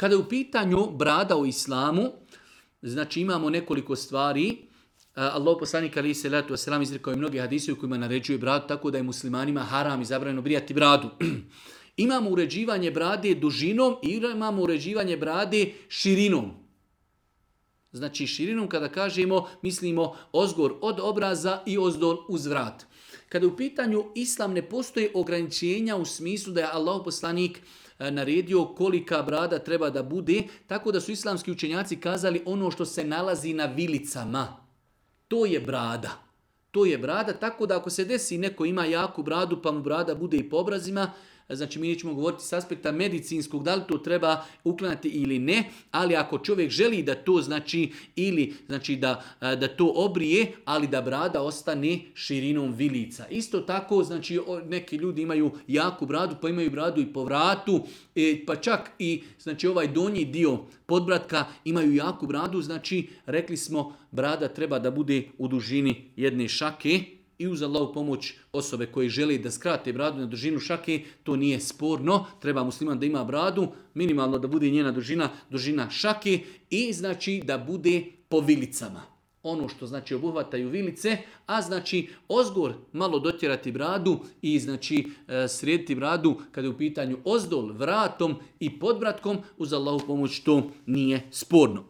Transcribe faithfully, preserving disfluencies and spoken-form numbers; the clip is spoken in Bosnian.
Kada je u pitanju brada u islamu, znači imamo nekoliko stvari. Allah poslanik alejhi selatu vesselam izrekao je mnoge hadise u kojima naređuje bradu, tako da je muslimanima haram i zabranjeno brijati bradu. Imamo uređivanje brade dužinom i imamo uređivanje brade širinom. Znači širinom kada kažemo, mislimo ozgor od obraza i ozdol uz vrat. Kada u pitanju islam ne postoje ograničenja u smislu da je Allah poslanik naredio kolika brada treba da bude, tako da su islamski učenjaci kazali ono što se nalazi na vilicama. To je brada. To je brada, tako da ako se desi neko ima jaku bradu pa mu brada bude i po obrazima, znači mi nećemo govoriti s aspekta medicinskog, da li to treba uklanjati ili ne, ali ako čovjek želi da to znači ili znači da, da to obrije, ali da brada ostane širinom vilica. Isto tako, znači neki ljudi imaju jaku bradu, pa imaju bradu i po vratu, pa čak i znači ovaj donji dio podbratka imaju jaku bradu, znači rekli smo brada treba da bude u dužini jedne šake. I uz Allahu pomoć osobe koji žele da skrate bradu na dužinu šake, to nije sporno. Treba musliman da ima bradu, minimalno da bude njena dužina, dužina šake i znači da bude po vilicama. Ono što znači obuhvataju vilice, a znači ozgor malo dotjerati bradu i znači srediti bradu kada je u pitanju ozdol, vratom i podbratkom, uz Allahu pomoć to nije sporno.